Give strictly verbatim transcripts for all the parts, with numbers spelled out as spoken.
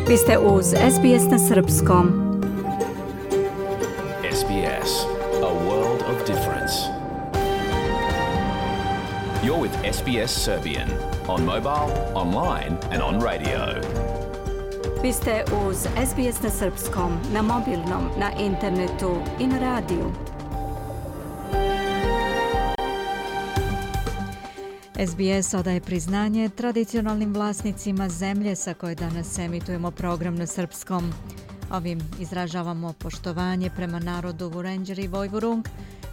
Vi ste uz S B S na srpskom. S B S, a world of difference. You're with S B S Serbian on mobile, online and on radio. Vi ste uz S B S na srpskom, na mobilnom, na internetu i na radiju. S B S odaje priznanje tradicionalnim vlasnicima zemlje sa koje danas emitujemo program na srpskom. Ovim izražavamo poštovanje prema narodu Vurenđer i Vojvurung,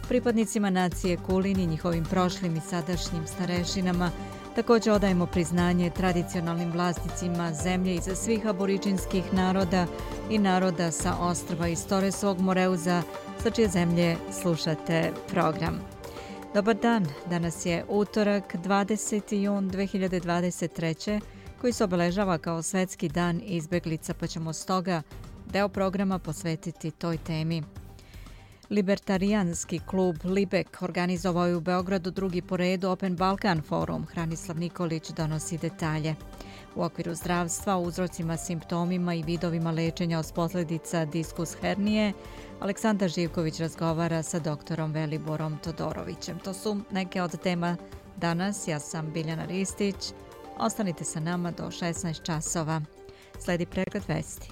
pripadnicima nacije Kulin i njihovim prošlim i sadašnjim starešinama. Također odajemo priznanje tradicionalnim vlasnicima zemlje iza svih aboriđinskih naroda i naroda sa ostrva iz Toresovog Moreuza, sa čije zemlje slušate program. Dobar dan, danas je utorak, dvadeseti jun dve hiljade dvadeset treće. koji se obeležava kao Svetski dan izbeglica, pa ćemo stoga deo programa posvetiti toj temi. Libertarijanski klub Libek organizovao je u Beogradu drugi po redu Open Balkan forum. Hranislav Nikolić donosi detalje. U okviru zdravstva, uzrocima, simptomima i vidovima lečenja od posljedica diskus hernije, Aleksandar Živković razgovara sa doktorom Veliborom Todorovićem. To su neke od tema danas. Ja sam Biljana Ristić. Ostanite sa nama do šesnaest časova. Sledi pregled vesti.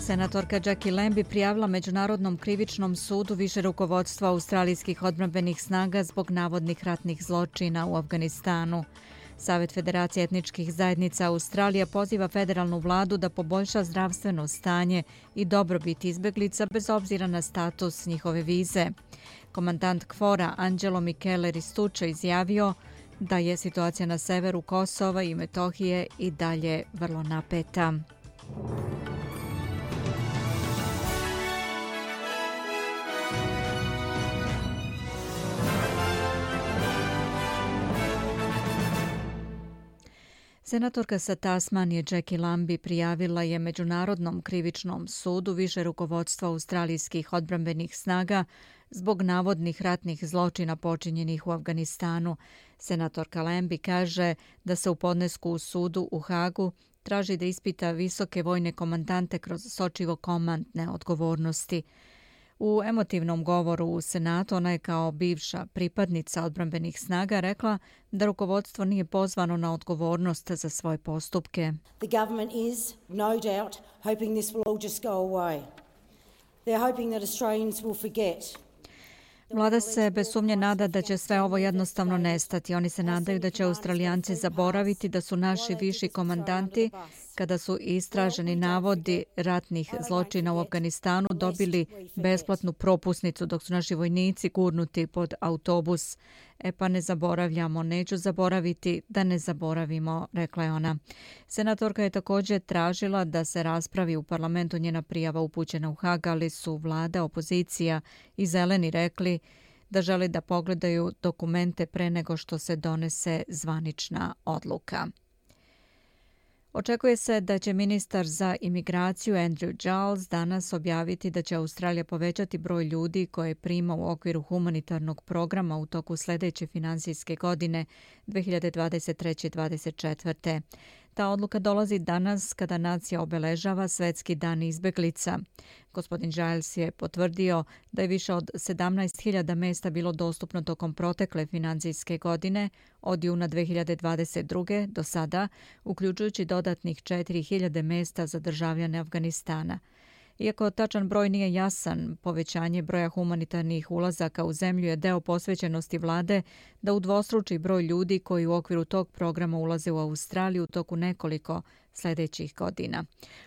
Senatorka Jackie Lambie prijavila Međunarodnom krivičnom sudu više rukovodstva australijskih odbrambenih snaga zbog navodnih ratnih zločina u Afganistanu. Savet Federacije etničkih zajednica Australija poziva federalnu vladu da poboljša zdravstveno stanje i dobrobit izbeglica bez obzira na status njihove vize. Komandant KFOR-a Angelo Michele Ristuccio izjavio da je situacija na severu Kosova i Metohije i dalje vrlo napeta. Senatorka sa Tasmanije Jackie Lambie prijavila je Međunarodnom krivičnom sudu više rukovodstva australijskih odbrambenih snaga zbog navodnih ratnih zločina počinjenih u Afganistanu. Senatorka Lambie kaže da se u podnesku u sudu u Hagu traži da ispita visoke vojne komandante kroz sočivo komandne odgovornosti. U emotivnom govoru u Senatu ona je kao bivša pripadnica odbrambenih snaga rekla da rukovodstvo nije pozvano na odgovornost za svoje postupke. The government is, no doubt, hoping this will all just go away. They're hoping that Australians will forget. Vlada se bez sumnje nada da će sve ovo jednostavno nestati. Oni se nadaju da će Australijanci zaboraviti da su naši viši komandanti, kada su istraženi navodi ratnih zločina u Afganistanu, dobili besplatnu propusnicu dok su naši vojnici gurnuti pod autobus. E pa ne zaboravljamo, neću zaboraviti da ne zaboravimo, rekla je ona. Senatorka je također tražila da se raspravi u parlamentu njena prijava upućena u Hag, ali su vlada, opozicija i zeleni rekli da žele da pogledaju dokumente pre nego što se donese zvanična odluka. Očekuje se da će ministar za imigraciju Andrew Giles danas objaviti da će Australija povećati broj ljudi koje prima u okviru humanitarnog programa u toku sljedeće finansijske godine dve hiljade dvadeset treće dvadeset četvrte. Ta odluka dolazi danas kada nacija obeležava Svetski dan izbeglica. Gospodin Giles je potvrdio da je više od sedamnaest hiljada mesta bilo dostupno tokom protekle financijske godine od juna dve hiljade dvadeset druge do sada, uključujući dodatnih četiri hiljade mesta za državljane Afganistana. Iako tačan broj nije jasan, povećanje broja humanitarnih ulazaka u zemlju je deo posvećenosti vlade da udvostruči broj ljudi koji u okviru tog programa ulaze u Australiju u toku nekoliko sljedećih godina.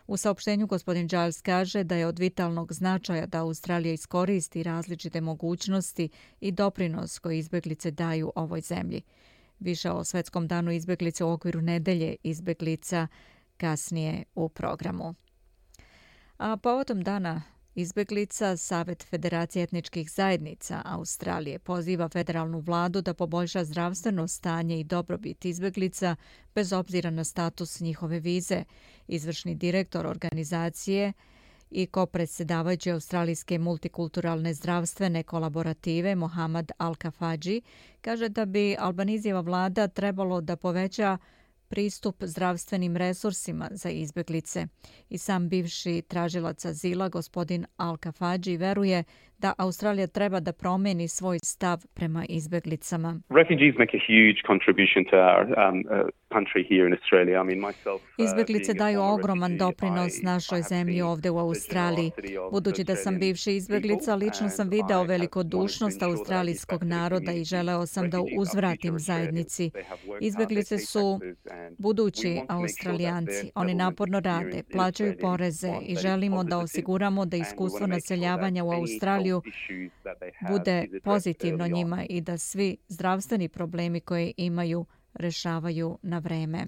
U saopštenju gospodin Giles kaže da je od vitalnog značaja da Australija iskoristi različite mogućnosti i doprinos koji izbeglice daju ovoj zemlji. Više o Svetskom danu izbeglice u okviru nedelje izbeglica kasnije u programu. A povodom dana izbeglica, Savet Federacije etničkih zajednica Australije poziva federalnu vladu da poboljša zdravstveno stanje i dobrobit izbeglica bez obzira na status njihove vize. Izvršni direktor organizacije i kopredsjedavajući Australijske multikulturalne zdravstvene kolaborative Mohamed Al-Kafaji kaže da bi Albanizijeva vlada trebalo da poveća pristup zdravstvenim resursima za izbjeglice. I sam bivši tražilac azila, gospodin Al-Kafaji, veruje da Australija treba da promeni svoj stav prema izbjeglicama. Refugees make a huge contribution to our um, uh, country here in Australia. I mean myself. Uh, Izbjeglice daju ogroman doprinos našoj zemlji ovdje u Australiji. Budući da sam bivši izbjeglica, lično sam video velikodušnost australijskog naroda i želeo sam da uzvratim zajednici. Izbjeglice su budući Australijanci. Oni naporno rade, plaćaju poreze i želimo da osiguramo da iskustvo naseljavanja u Australiju bude pozitivno njima i da svi zdravstveni problemi koje imaju rešavaju na vreme.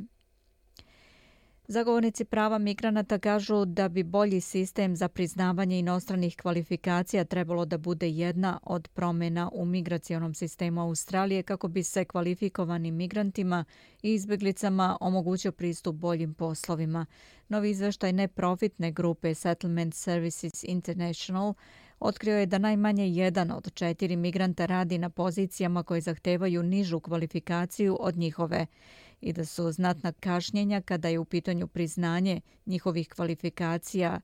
Zagovornici prava migranata kažu da bi bolji sistem za priznavanje inostranih kvalifikacija trebalo da bude jedna od promjena u migracionom sistemu Australije kako bi se kvalifikovanim migrantima i izbjeglicama omogućio pristup boljim poslovima. Novi izveštaj neprofitne grupe Settlement Services International otkrio je da najmanje jedan od četiri migranta radi na pozicijama koje zahtevaju nižu kvalifikaciju od njihove i da su znatna kašnjenja kada je u pitanju priznanje njihovih kvalifikacija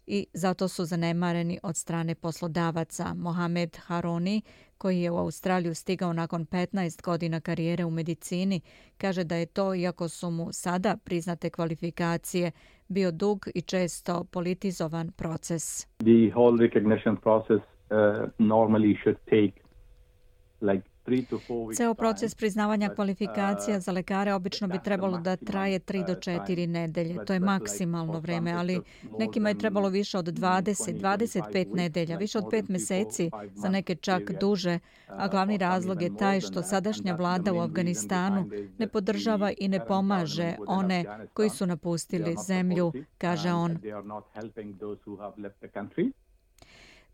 i zato su zanemareni od strane poslodavaca. Mohamed Haroni, koji je u Australiju stigao nakon petnaest godina karijere u medicini, kaže da je to, iako su mu sada priznate kvalifikacije, bio dug i često politizovan proces. The whole recognition process uh, normally should take like Ceo proces priznavanja kvalifikacija za lekare obično bi trebalo da traje tri do četiri nedelje. To je maksimalno vreme, ali nekima je trebalo više od dvadeset do dvadeset pet nedelja, više od pet meseci, za neke čak duže, a glavni razlog je taj što sadašnja vlada u Afganistanu ne podržava i ne pomaže one koji su napustili zemlju, kaže on.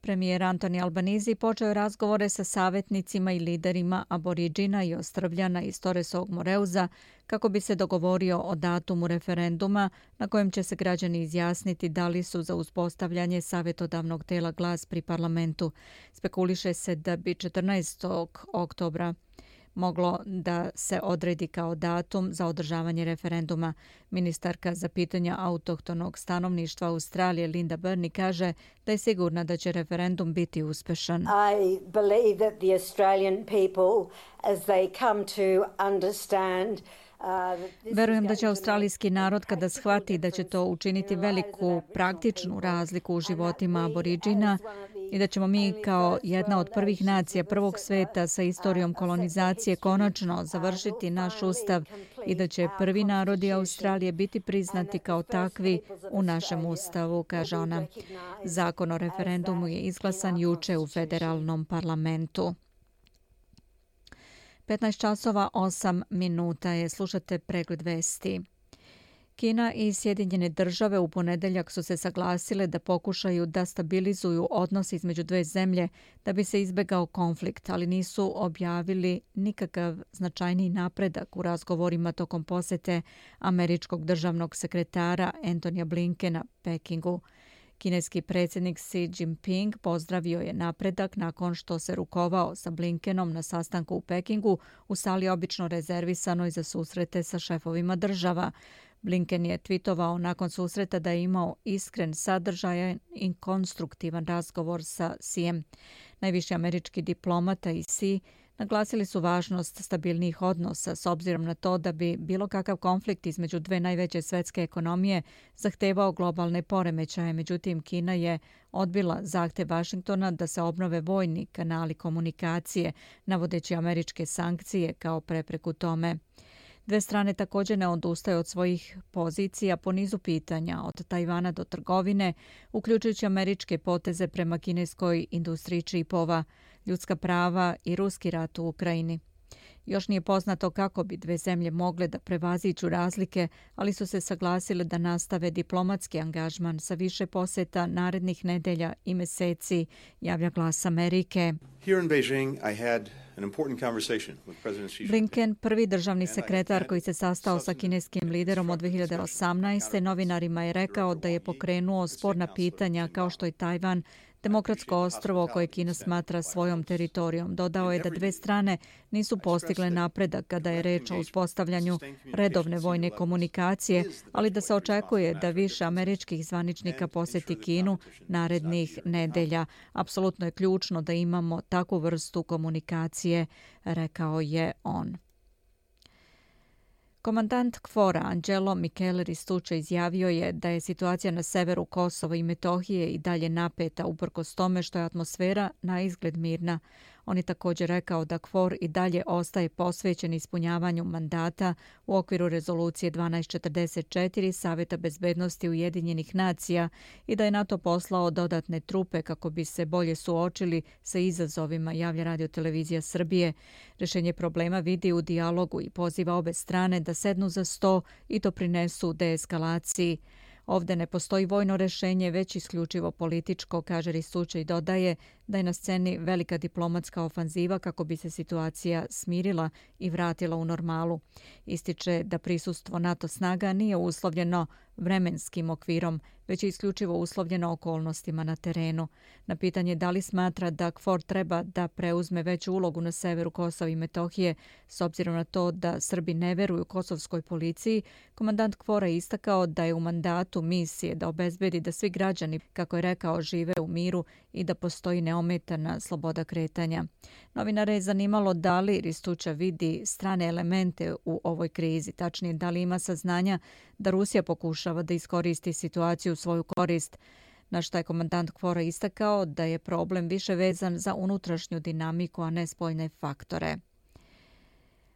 Premijer Anthony Albanese počeo je razgovore sa savjetnicima i liderima Aboriđina i Ostrvljana iz Torresovog Moreuza kako bi se dogovorio o datumu referenduma na kojem će se građani izjasniti da li su za uspostavljanje savjetodavnog tela Glas pri parlamentu. Spekuliše se da bi četrnaestog oktobra moglo da se odredi kao datum za održavanje referenduma. Ministarka za pitanja autohtonog stanovništva Australije Linda Burney kaže da je sigurna da će referendum biti uspešan. I believe that the Australian people, as they come to understand Verujem da će australijski narod, kada shvati da će to učiniti veliku praktičnu razliku u životima Aboriđina i da ćemo mi kao jedna od prvih nacija prvog sveta sa istorijom kolonizacije konačno završiti naš ustav i da će prvi narodi Australije biti priznati kao takvi u našem ustavu, kaže ona. Zakon o referendumu je izglasan juče u federalnom parlamentu. petnaest časova osam minuta je, slušate pregled vesti. Kina i Sjedinjene države u ponedeljak su se saglasile da pokušaju da stabilizuju odnos između dve zemlje da bi se izbegao konflikt, ali nisu objavili nikakav značajniji napredak u razgovorima tokom posete američkog državnog sekretara Antonija Blinkena Pekingu. Kineski predsjednik Xi Jinping pozdravio je napredak nakon što se rukovao sa Blinkenom na sastanku u Pekingu u sali obično rezervisanoj za susrete sa šefovima država. Blinken je twitovao nakon susreta da je imao iskren, sadržajan i konstruktivan razgovor sa Xijem. Najviši američki diplomata i Xi naglasili su važnost stabilnih odnosa s obzirom na to da bi bilo kakav konflikt između dve najveće svetske ekonomije zahtevao globalne poremećaje. Međutim, Kina je odbila zahtev Vašingtona da se obnove vojni kanali komunikacije, navodeći američke sankcije kao prepreku tome. Dve strane također ne odustaju od svojih pozicija po nizu pitanja, od Tajvana do trgovine, uključujući američke poteze prema kineskoj industriji čipova, ljudska prava i ruski rat u Ukrajini. Još nije poznato kako bi dve zemlje mogle da prevaziđu razlike, ali su se saglasile da nastave diplomatski angažman sa više poseta narednih nedelja i meseci, javlja Glas Amerike. Here in Beijing, I had an important conversation with President Xi Jinping. Blinken, prvi državni sekretar koji se sastao sa kineskim liderom od dve hiljade osamnaeste. novinarima je rekao da je pokrenuo sporna pitanja kao što je Tajvan, demokratsko ostrvo koje Kina smatra svojom teritorijom. Dodao je da dve strane nisu postigle napredak kada je reč o uspostavljanju redovne vojne komunikacije, ali da se očekuje da više američkih zvaničnika poseti Kinu narednih nedelja. Apsolutno je ključno da imamo takvu vrstu komunikacije, rekao je on. Komandant KFOR-a Angelo Michele Ristucci izjavio je da je situacija na severu Kosova i Metohije i dalje napeta uprkos tome što je atmosfera na izgled mirna. On je također rekao da KFOR i dalje ostaje posvećen ispunjavanju mandata u okviru rezolucije dvanaest četrdeset četiri Saveta bezbednosti Ujedinjenih nacija i da je NATO poslao dodatne trupe kako bi se bolje suočili sa izazovima, javlja Radio-televizija Srbije. Rješenje problema vidi u dijalogu i poziva obe strane da sednu za sto i doprinesu deeskalaciji. Ovde ne postoji vojno rješenje, već isključivo političko, kaže Ristucci i dodaje da je na sceni velika diplomatska ofanziva kako bi se situacija smirila i vratila u normalu. Ističe da prisustvo NATO snaga nije uslovljeno vremenskim okvirom, već je isključivo uslovljeno okolnostima na terenu. Na pitanje da li smatra da KFOR treba da preuzme veću ulogu na severu Kosova i Metohije, s obzirom na to da Srbi ne veruju kosovskoj policiji, komandant KFOR-a je istakao da je u mandatu misije da obezbedi da svi građani, kako je rekao, žive u miru i da postoji neometana sloboda kretanja. Novinare je zanimalo da li Ristucci vidi strane elemente u ovoj krizi, tačnije da li ima saznanja da Rusija pokušava da iskoristi situaciju u svoju korist, na što je komandant KFOR-a istakao da je problem više vezan za unutrašnju dinamiku, a ne spoljne faktore.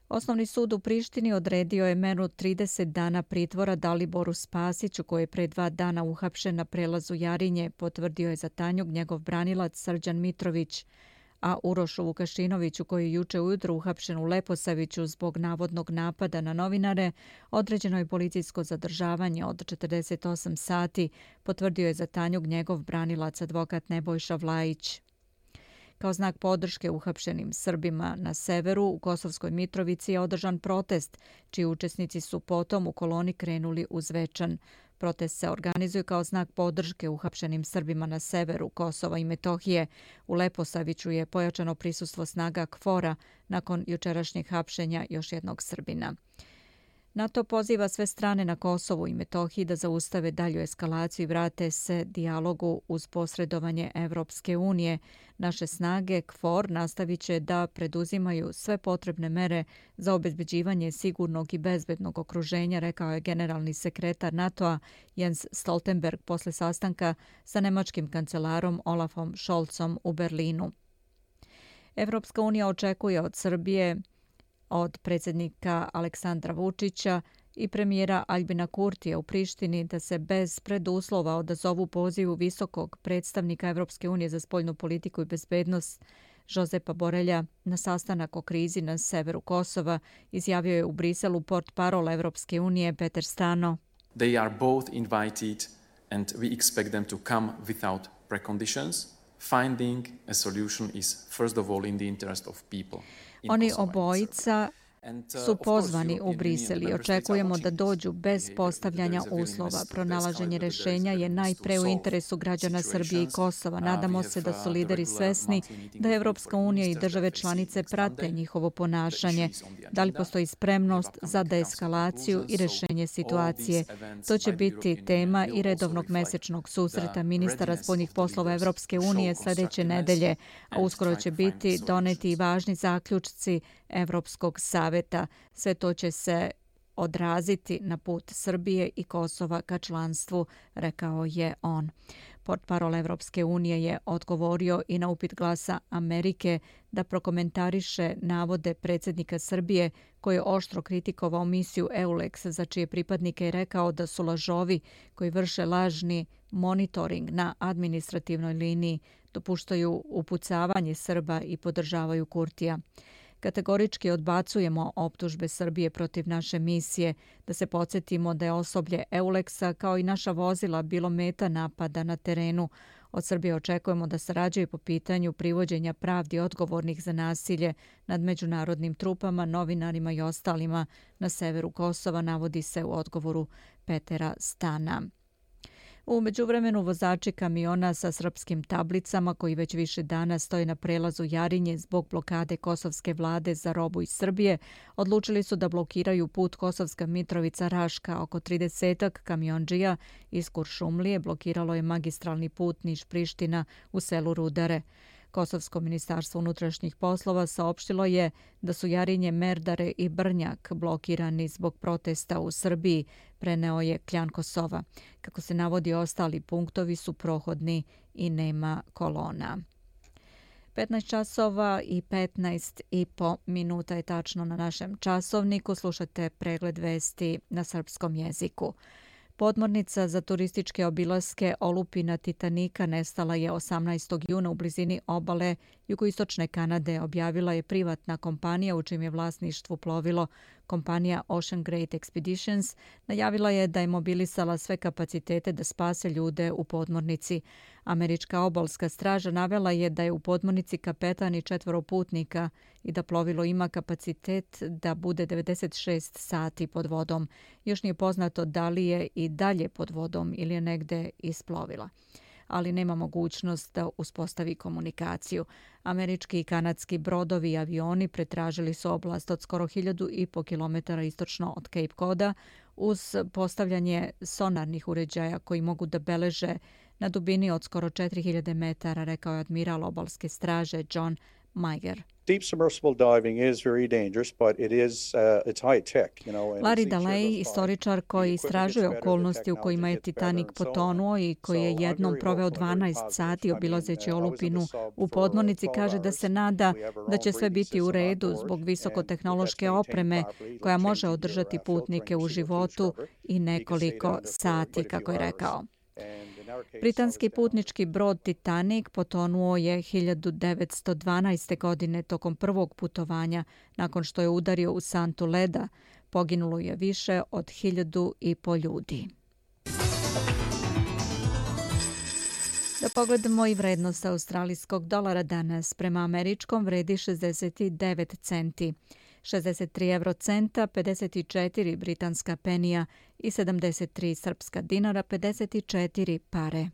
Osnovni sud u Prištini odredio je meru trideset dana pritvora Daliboru Spasiću, koji je pre dva dana uhapšen na prelazu Jarinje, potvrdio je za Tanjug njegov branilac Srđan Mitrović, a Urošu Vukašinoviću, koji je juče ujutro uhapšen u Leposaviću zbog navodnog napada na novinare, određeno je policijsko zadržavanje od četrdeset osam sati, potvrdio je za Tanjug njegov branilac advokat Nebojša Vlajić. Kao znak podrške uhapšenim Srbima na severu, u Kosovskoj Mitrovici je održan protest, čiji učesnici su potom u koloni krenuli u Zvečan. Protest se organizuje kao znak podrške uhapšenim Srbima na severu Kosova i Metohije. U Leposaviću je pojačano prisustvo snaga KFOR-a nakon jučerašnjeg hapšenja još jednog Srbina. NATO poziva sve strane na Kosovu i Metohiji da zaustave dalju eskalaciju i vrate se dijalogu uz posredovanje Evropske unije. Naše snage KFOR nastavit će da preduzimaju sve potrebne mere za obezbeđivanje sigurnog i bezbednog okruženja, rekao je generalni sekretar NATO-a Jens Stoltenberg posle sastanka sa nemačkim kancelarom Olafom Scholzom u Berlinu. Evropska unija očekuje od Srbije, od predsjednika Aleksandra Vučića i premijera Aljbina Kurtija u Prištini da se bez preduslova odazovu pozivu visokog predstavnika Evropske unije za spoljnu politiku i bezbednost Jozepa Borelja na sastanak o krizi na severu Kosova, izjavio je u Briselu portparol Evropske unije Peter Stano. They are both invited and we expect them to come without preconditions. Finding a solution is first of all in the interest of people. Oni obojica su pozvani u Brisel i očekujemo da dođu bez postavljanja uslova. Pronalaženje rješenja je najpre u interesu građana Srbije i Kosova. Nadamo se da su lideri svesni da Evropska unija i države članice prate njihovo ponašanje. Da li postoji spremnost za deeskalaciju i rješenje situacije? To će biti tema i redovnog mesečnog susreta ministara spoljnih poslova Evropske unije sljedeće nedelje, a uskoro će biti doneti i važni zaključci Evropskog saveta. Sve to će se odraziti na put Srbije i Kosova ka članstvu, rekao je on. Portparol Evropske unije je odgovorio i na upit Glasa Amerike da prokomentariše navode predsjednika Srbije koji je oštro kritikovao misiju EULEX, za čije pripadnike je rekao da su lažovi koji vrše lažni monitoring na administrativnoj liniji, dopuštaju upucavanje Srba i podržavaju Kurtija. Kategorički odbacujemo optužbe Srbije protiv naše misije, da se podsjetimo da je osoblje Euleksa kao i naša vozila bilo meta napada na terenu. Od Srbije očekujemo da sarađuje po pitanju privođenja pravdi odgovornih za nasilje nad međunarodnim trupama, novinarima i ostalima na severu Kosova, navodi se u odgovoru Petera Stana. U međuvremenu vozači kamiona sa srpskim tablicama koji već više dana stoje na prelazu Jarinje zbog blokade kosovske vlade za robu iz Srbije odlučili su da blokiraju put Kosovska Mitrovica-Raška. Oko tridesetak kamiondžija iz Kuršumlije blokiralo je magistralni put Niš-Priština u selu Rudare. Kosovsko ministarstvo unutrašnjih poslova saopštilo je da su Jarinje, Merdare i Brnjak blokirani zbog protesta u Srbiji, preneo je Kljan Kosova. Kako se navodi, ostali punktovi su prohodni i nema kolona. petnaest časova i petnaest i po minuta je tačno na našem časovniku. Slušate pregled vesti na srpskom jeziku. Podmornica za turističke obilaske olupina Titanika nestala je osamnaestog juna u blizini obale jugoistočne Kanade, objavila je privatna kompanija u čijem je vlasništvu plovilo. Kompanija Ocean Great Expeditions najavila je da je mobilisala sve kapacitete da spase ljude u podmornici. Američka obalska straža navela je da je u podmornici kapetan i četvoro putnika i da plovilo ima kapacitet da bude devedeset šest sati pod vodom. Još nije poznato da li je i dalje pod vodom ili je negde isplovila, ali nema mogućnost da uspostavi komunikaciju. Američki i kanadski brodovi i avioni pretražili su oblast od skoro hiljadu i po kilometara istočno od Cape Coda uz postavljanje sonarnih uređaja koji mogu da beleže na dubini od skoro četiri hiljade metara, rekao je admiral obalske straže John Meiger. Deep submersible diving is very dangerous, but it is uh, it's high tech, you know. Larry Daley, istoričar koji istražuje okolnosti u kojima je Titanic potonuo i koji je jednom proveo dvanaest sati obilazeći olupinu u podmornici, kaže da se nada da će sve biti u redu zbog visokotehnološke opreme koja može održati putnike u životu i nekoliko sati, kako je rekao. Britanski putnički brod Titanic potonuo je hiljadu devetsto dvanaeste. godine tokom prvog putovanja. Nakon što je udario u santu leda, poginulo je više od hiljadu i po ljudi. Da pogledamo i vrednost australijskog dolara danas. Prema američkom vredi šezdeset devet centi. šezdeset tri eurocenta, pedeset četiri britanska penija i sedamdeset tri srpska dinara, pedeset četiri pare.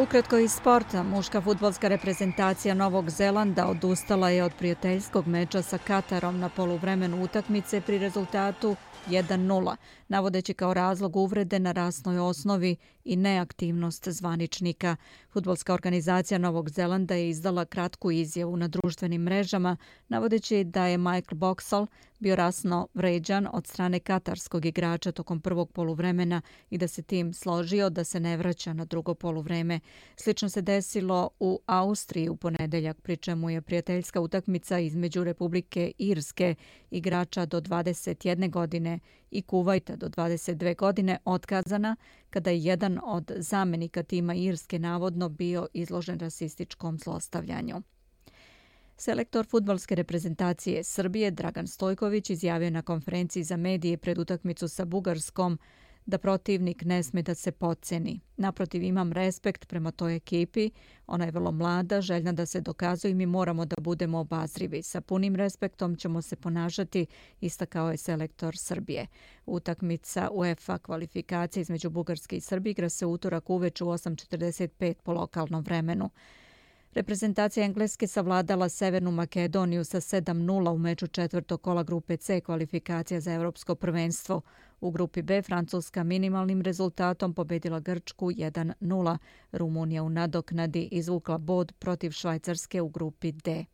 Ukratko iz sporta, muška fudbalska reprezentacija Novog Zelanda odustala je od prijateljskog meča sa Katarom na poluvremenu utakmice pri rezultatu jedan nula, navodeći kao razlog uvrede na rasnoj osnovi i neaktivnost zvaničnika. Fudbalska organizacija Novog Zelanda je izdala kratku izjavu na društvenim mrežama, navodeći da je Michael Boxall bio rasno vređan od strane katarskog igrača tokom prvog poluvremena i da se tim složio da se ne vraća na drugo poluvreme. Slično se desilo u Austriji u ponedeljak, pri čemu je prijateljska utakmica između Republike Irske, igrača do dvadeset jedne godine, i Kuvajta do dvadeset dve godine otkazana kada je jedan od zamenika tima Irske navodno bio izložen rasističkom zlostavljanju. Selektor fudbalske reprezentacije Srbije Dragan Stojković izjavio na konferenciji za medije pred utakmicu sa Bugarskom da protivnik ne sme da se potceni. Naprotiv, imam respekt prema toj ekipi, ona je vrlo mlada, željna da se dokazuje i mi moramo da budemo obazrivi. Sa punim respektom ćemo se ponašati, istakao je selektor Srbije. Utakmica UEFA kvalifikacije između Bugarske i Srbije igra se utorak uveče u osam četrdeset pet po lokalnom vremenu. Reprezentacija Engleske savladala Severnu Makedoniju sa sedam nula u meču četvrtog kola grupe C kvalifikacija za Evropsko prvenstvo. U grupi B Francuska minimalnim rezultatom pobedila Grčku jedan nula. Rumunija u nadoknadi izvukla bod protiv Švajcarske u grupi D.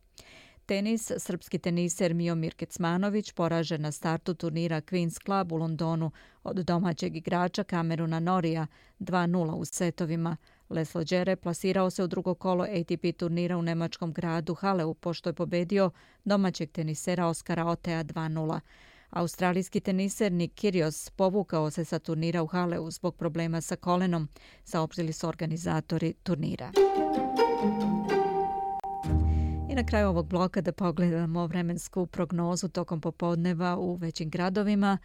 Tenis, srpski teniser Miomir Kecmanović poražen na startu turnira Queen's Club u Londonu od domaćeg igrača Cameruna Norija dva nula u setovima. Laslo Djere plasirao se u drugo kolo A T P turnira u nemačkom gradu Haleu pošto je pobedio domaćeg tenisera Oskara Otea dva nula. Australijski teniser Nick Kyrgios povukao se sa turnira u Haleu zbog problema sa kolenom, saopštili su organizatori turnira. I na kraju ovog bloka da pogledamo vremensku prognozu tokom popodneva u većim gradovima.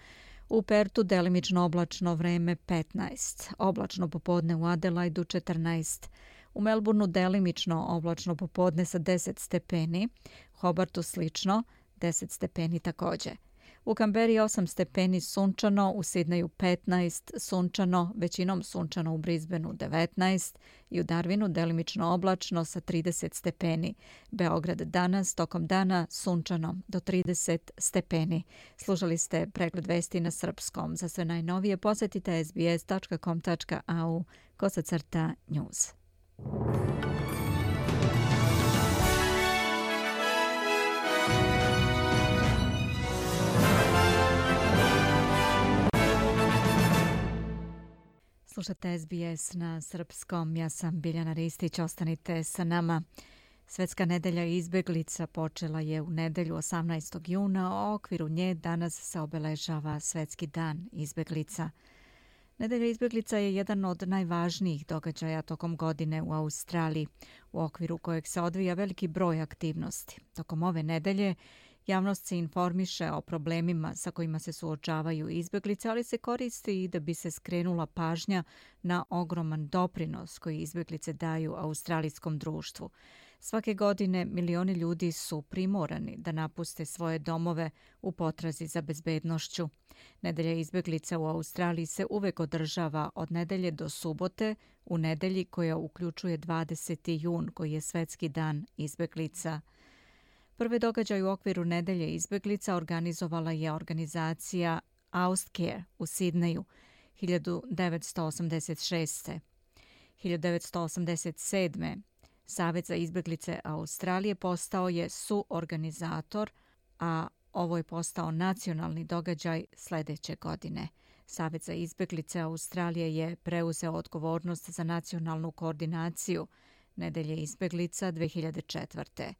U Pertu delimično oblačno vreme petnaest, oblačno popodne u Adelaidu četrnaest, u Melbourneu delimično oblačno popodne sa deset stepeni, Hobartu slično, deset stepeni također. U Kamberi osam stepeni sunčano, u Sidneju petnaest sunčano, većinom sunčano u Brisbaneu devetnaest i u Darwinu delimično oblačno sa trideset stepeni. Beograd danas tokom dana sunčano do trideset stepeni. Slušali ste pregled vesti na srpskom. Za sve najnovije posjetite s b s dot com dot a u kosacrta news. Slušate S B S na srpskom, ja sam Biljana Ristić, ostanite sa nama. Svetska nedelja izbeglica počela je u nedelju osamnaestog juna, a u okviru nje danas se obeležava Svetski dan izbeglica. Nedelja izbeglica je jedan od najvažnijih događaja tokom godine u Australiji, u okviru kojeg se odvija veliki broj aktivnosti. Tokom ove nedelje javnost se informiše o problemima sa kojima se suočavaju izbeglice, ali se koristi i da bi se skrenula pažnja na ogroman doprinos koji izbeglice daju australijskom društvu. Svake godine milioni ljudi su primorani da napuste svoje domove u potrazi za bezbednošću. Nedelja izbeglica u Australiji se uvek održava od nedelje do subote, u nedelji koja uključuje dvadeseti jun, koji je Svetski dan izbeglica. Prvi događaj u okviru nedelje izbeglica organizovala je organizacija Austcare u Sidneju hiljadu devetsto osamdeset šeste. hiljadu devetsto osamdeset sedme. Savet za izbeglice Australije postao je suorganizator, a ovo je postao nacionalni događaj sljedeće godine. Savet za izbeglice Australije je preuzeo odgovornost za nacionalnu koordinaciju nedelje izbeglica dve hiljade četvrte.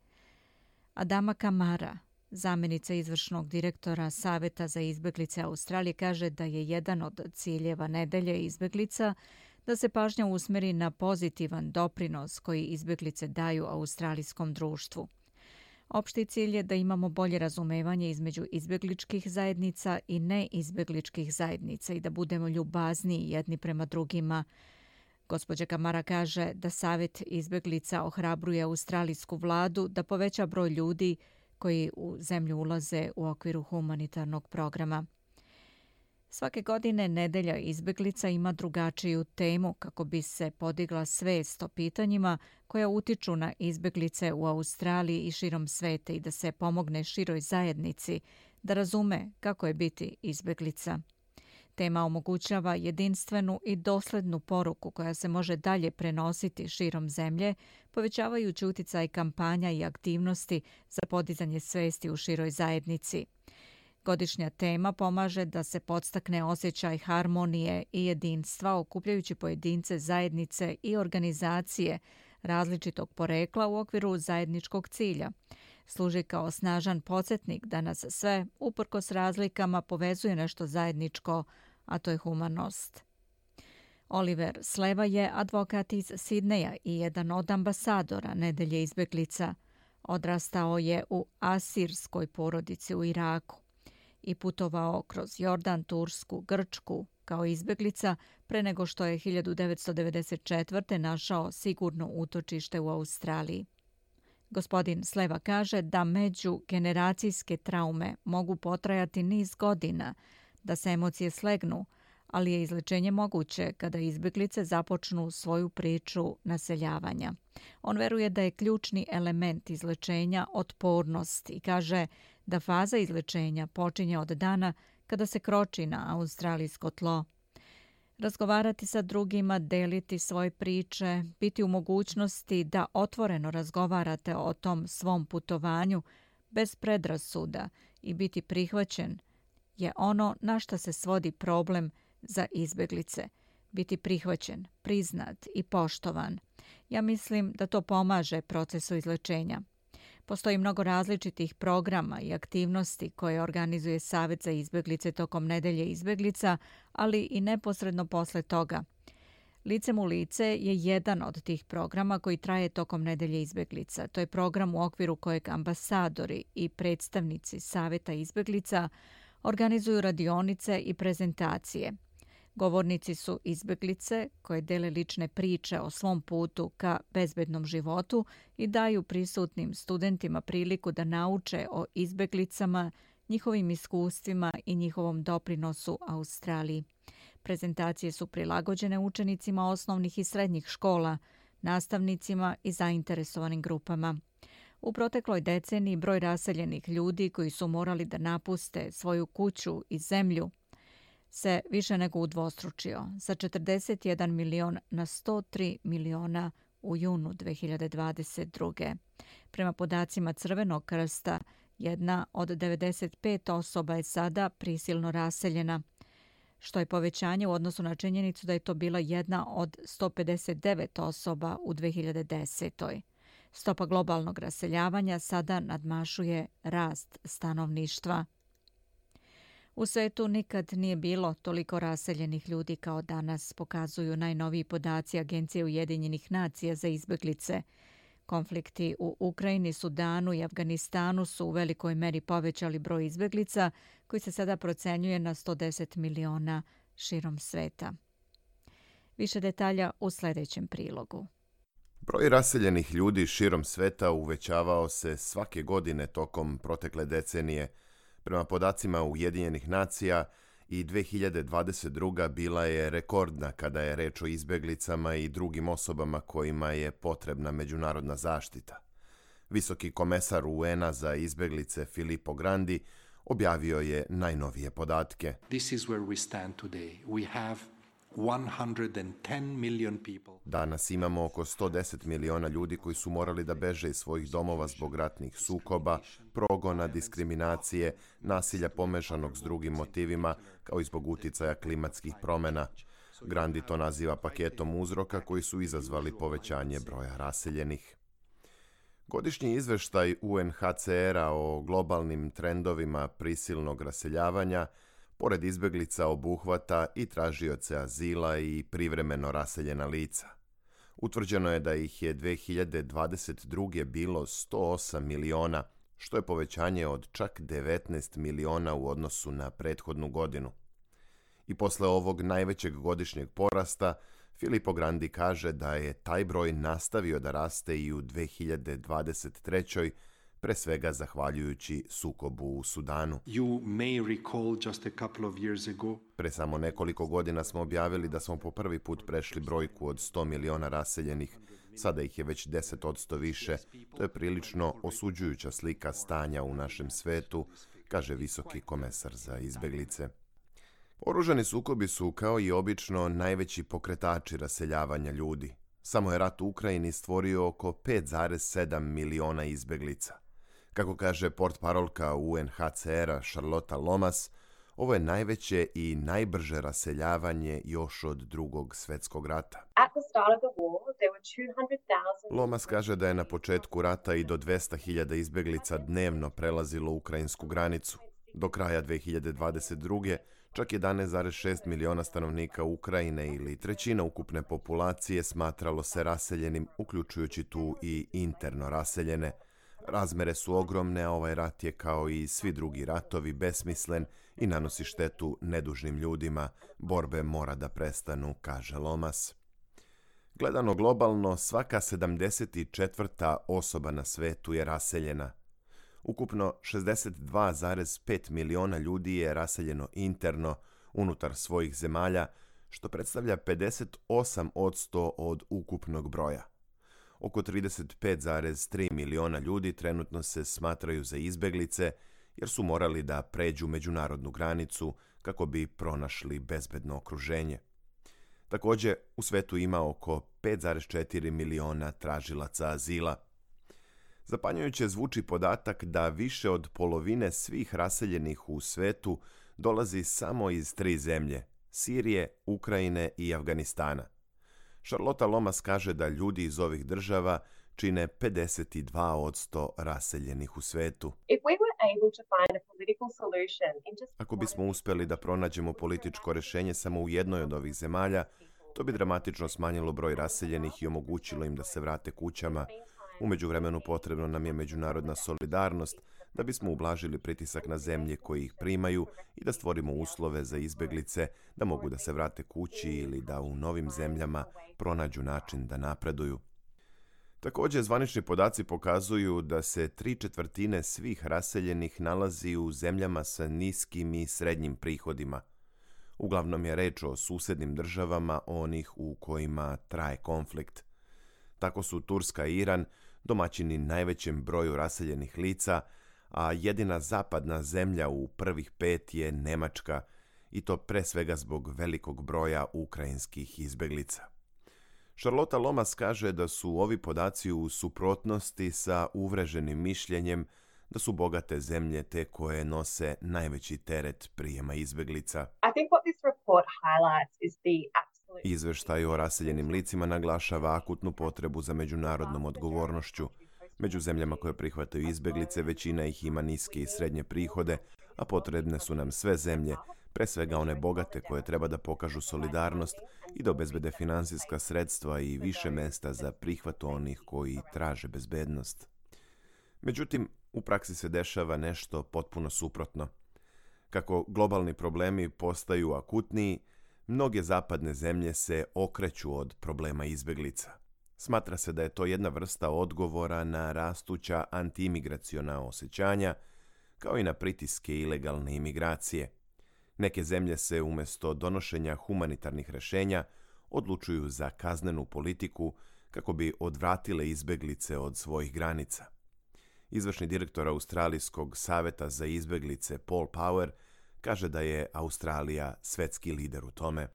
Adama Kamara, zamjenica izvršnog direktora Saveta za izbeglice Australije, kaže da je jedan od ciljeva nedelje izbeglica da se pažnja usmeri na pozitivan doprinos koji izbeglice daju australijskom društvu. Opšti cilj je da imamo bolje razumevanje između izbegličkih zajednica i neizbegličkih zajednica i da budemo ljubazniji jedni prema drugima. Gospođa Kamara kaže da Savet izbeglica ohrabruje australijsku vladu da poveća broj ljudi koji u zemlju ulaze u okviru humanitarnog programa. Svake godine nedelja izbeglica ima drugačiju temu kako bi se podigla svest o pitanjima koja utiču na izbeglice u Australiji i širom sveta i da se pomogne široj zajednici da razume kako je biti izbeglica. Tema omogućava jedinstvenu i doslednu poruku koja se može dalje prenositi širom zemlje, povećavajući uticaj kampanja i aktivnosti za podizanje svesti u široj zajednici. Godišnja tema pomaže da se podstakne osjećaj harmonije i jedinstva, okupljajući pojedince, zajednice i organizacije različitog porekla u okviru zajedničkog cilja. Služi kao snažan podsjetnik da nas sve, uprkos razlikama, povezuje nešto zajedničko, a to je humanost. Oliver Sleva je advokat iz Sidneja i jedan od ambasadora nedelje izbeglica. Odrastao je u asirskoj porodici u Iraku i putovao kroz Jordan, Tursku, Grčku kao izbeglica pre nego što je hiljadu devetsto devedeset četvrte. našao sigurno utočište u Australiji. Gospodin Sleva kaže da međugeneracijske traume mogu potrajati niz godina, da se emocije slegnu, ali je izlečenje moguće kada izbeglice započnu svoju priču naseljavanja. On veruje da je ključni element izlečenja otpornost i kaže da faza izlečenja počinje od dana kada se kroči na australijsko tlo. Razgovarati sa drugima, deliti svoje priče, biti u mogućnosti da otvoreno razgovarate o tom svom putovanju bez predrasuda i biti prihvaćen je ono na što se svodi problem za izbeglice. Biti prihvaćen, priznat i poštovan. Ja mislim da to pomaže procesu izlečenja. Postoji mnogo različitih programa i aktivnosti koje organizuje Savet za izbeglice tokom nedelje izbeglica, ali i neposredno posle toga. Licem u lice je jedan od tih programa koji traje tokom nedelje izbeglica. To je program u okviru kojeg ambasadori i predstavnici Saveta izbeglica organizuju radionice i prezentacije. Govornici su izbeglice koje dele lične priče o svom putu ka bezbednom životu i daju prisutnim studentima priliku da nauče o izbeglicama, njihovim iskustvima i njihovom doprinosu Australiji. Prezentacije su prilagođene učenicima osnovnih i srednjih škola, nastavnicima i zainteresovanim grupama. U protekloj deceniji broj raseljenih ljudi koji su morali da napuste svoju kuću i zemlju se više nego udvostručio, sa četrdeset jedan milion na sto tri miliona u junu dve hiljade dvadeset druge. Prema podacima Crvenog krsta, jedna od devedeset pet osoba je sada prisilno raseljena, što je povećanje u odnosu na činjenicu da je to bila jedna od sto pedeset devet osoba u dve hiljade desetoj. Stopa globalnog raseljavanja sada nadmašuje rast stanovništva. U svetu nikad nije bilo toliko raseljenih ljudi kao danas, pokazuju najnoviji podaci Agencije Ujedinjenih nacija za izbeglice. Konflikti u Ukrajini, Sudanu i Afganistanu su u velikoj meri povećali broj izbeglica koji se sada procenjuje na sto deset miliona širom sveta. Više detalja u sljedećem prilogu. Broj raseljenih ljudi širom sveta uvećavao se svake godine tokom protekle decenije. Prema podacima Ujedinjenih nacija, i dve hiljade dvadeset druga bila je rekordna kada je reč o izbjeglicama i drugim osobama kojima je potrebna međunarodna zaštita. Visoki komesar U N-a za izbjeglice Filippo Grandi objavio je najnovije podatke. This is where we stand today. We have one hundred ten million people. Danas imamo oko sto deset miliona ljudi koji su morali da beže iz svojih domova zbog ratnih sukoba, progona, diskriminacije, nasilja pomešanog s drugim motivima, kao i zbog uticaja klimatskih promjena. Grandi to naziva paketom uzroka koji su izazvali povećanje broja raseljenih. Godišnji izveštaj U N H C R-a o globalnim trendovima prisilnog raseljavanja pored izbjeglica obuhvata i tražioce azila i privremeno raseljena lica. Utvrđeno je da ih je dve hiljade dvadeset druge bilo sto osam miliona, što je povećanje od čak devetnaest miliona u odnosu na prethodnu godinu. I posle ovog najvećeg godišnjeg porasta, Filippo Grandi kaže da je taj broj nastavio da raste i u dve hiljade dvadeset trećoj, pre svega zahvaljujući sukobu u Sudanu. You may recall just a couple of years ago. Pre samo nekoliko godina smo objavili da smo po prvi put prešli brojku od sto miliona raseljenih. Sada ih je već deset posto više. To je prilično osuđujuća slika stanja u našem svetu, kaže visoki komesar za izbjeglice. Oružani sukobi su, kao i obično, najveći pokretači raseljavanja ljudi. Samo je rat u Ukrajini stvorio oko pet zarez sedam miliona izbjeglica. Kako kaže portparolka U N H C R-a Charlotta Lomas, ovo je najveće i najbrže raseljavanje još od drugog svjetskog rata. Lomas kaže da je na početku rata i do dvesta hiljada izbjeglica dnevno prelazilo ukrajinsku granicu. Do kraja dve hiljade dvadeset druge čak jedanaest zarez šest miliona stanovnika Ukrajine ili trećina ukupne populacije smatralo se raseljenim, uključujući tu i interno raseljene. Razmere su ogromne, a ovaj rat je kao i svi drugi ratovi besmislen i nanosi štetu nedužnim ljudima. Borbe mora da prestanu, kaže Lomas. Gledano globalno, svaka sedamdeset četvrta osoba na svetu je raseljena. Ukupno šezdeset dva zarez pet miliona ljudi je raseljeno interno unutar svojih zemalja, što predstavlja pedeset osam posto od ukupnog broja. Oko trideset pet zarez tri miliona ljudi trenutno se smatraju za izbjeglice jer su morali da pređu međunarodnu granicu kako bi pronašli bezbedno okruženje. Također, u svetu ima oko pet zarez četiri miliona tražilaca azila. Zapanjujuće zvuči podatak da više od polovine svih raseljenih u svetu dolazi samo iz tri zemlje, Sirije, Ukrajine i Afganistana. Charlotta Lomas kaže da ljudi iz ovih država čine pedeset dva posto raseljenih u svetu. Ako bismo uspjeli da pronađemo političko rješenje samo u jednoj od ovih zemalja, To bi dramatično smanjilo broj raseljenih i omogućilo im da se vrate kućama. U međuvremenu potrebno nam je međunarodna solidarnost da bismo ublažili pritisak na zemlje koji ih primaju i da stvorimo uslove za izbjeglice da mogu da se vrate kući ili da u novim zemljama pronađu način da napreduju. Također, zvanični podaci pokazuju da se tri četvrtine svih raseljenih nalazi u zemljama sa niskim i srednjim prihodima. Uglavnom je reč o susjednim državama, onih u kojima traje konflikt. Tako su Turska i Iran domaćini najvećem broju raseljenih lica, a jedina zapadna zemlja u prvih pet je Njemačka, i to pre svega zbog velikog broja ukrajinskih izbjeglica. Charlotte Lomas kaže da su ovi podaci u suprotnosti sa uvreženim mišljenjem da su bogate zemlje te koje nose najveći teret prijema izbjeglica. Izveštaj o raseljenim licima naglašava akutnu potrebu za međunarodnom odgovornošću. Među zemljama koje prihvataju izbjeglice, većina ih ima niske i srednje prihode, a potrebne su nam sve zemlje, pre svega one bogate koje treba da pokažu solidarnost i da obezbede finansijska sredstva i više mesta za prihvat onih koji traže bezbednost. Međutim, u praksi se dešava nešto potpuno suprotno. Kako globalni problemi postaju akutniji, mnoge zapadne zemlje se okreću od problema izbjeglica. Smatra se da je to jedna vrsta odgovora na rastuća antiimigraciona osjećanja, kao i na pritiske ilegalne imigracije. Neke zemlje se umjesto donošenja humanitarnih rješenja odlučuju za kaznenu politiku kako bi odvratile izbjeglice od svojih granica. Izvršni direktor Australijskog saveta za izbjeglice Paul Power kaže da je Australija svetski lider u tome.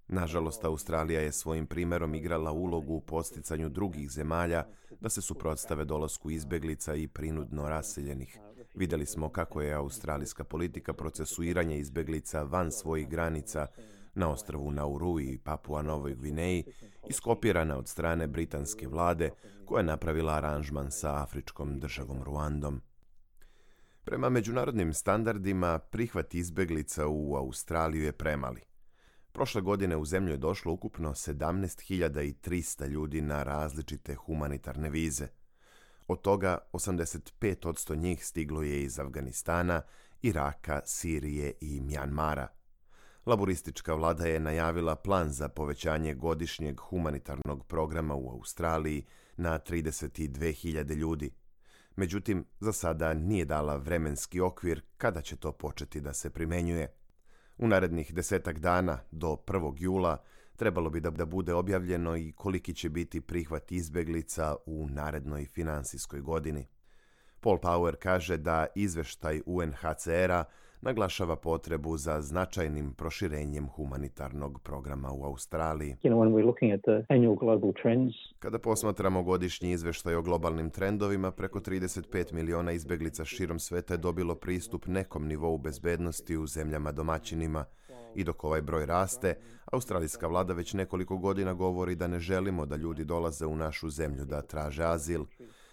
Nažalost, Australija je svojim primjerom igrala ulogu u posticanju drugih zemalja da se suprotstave dolasku izbjeglica i prinudno raseljenih. Vidjeli smo kako je australijska politika procesuiranja izbjeglica van svojih granica na ostrvu Nauru i Papua Novoj Gvineji iskopirana od strane britanske vlade koja je napravila aranžman sa afričkom državom Ruandom. Prema međunarodnim standardima, prihvat izbjeglica u Australiju je premali. Prošle godine u zemlju je došlo ukupno sedamnaest hiljada trista ljudi na različite humanitarne vize. Od toga osamdeset pet posto njih stiglo je iz Afganistana, Iraka, Sirije i Mjanmara. Laboristička vlada je najavila plan za povećanje godišnjeg humanitarnog programa u Australiji na trideset dve hiljade ljudi. Međutim, za sada nije dala vremenski okvir kada će to početi da se primenjuje. U narednih desetak dana, do prvog jula, trebalo bi da, da bude objavljeno i koliki će biti prihvat izbjeglica u narednoj finansijskoj godini. Paul Power kaže da izveštaj U N H C R-a naglašava potrebu za značajnim proširenjem humanitarnog programa u Australiji. Kada posmatramo godišnji izveštaj o globalnim trendovima, preko trideset pet miliona izbjeglica širom sveta je dobilo pristup nekom nivou bezbednosti u zemljama domaćinima. I dok ovaj broj raste, australijska vlada već nekoliko godina govori da ne želimo da ljudi dolaze u našu zemlju da traže azil.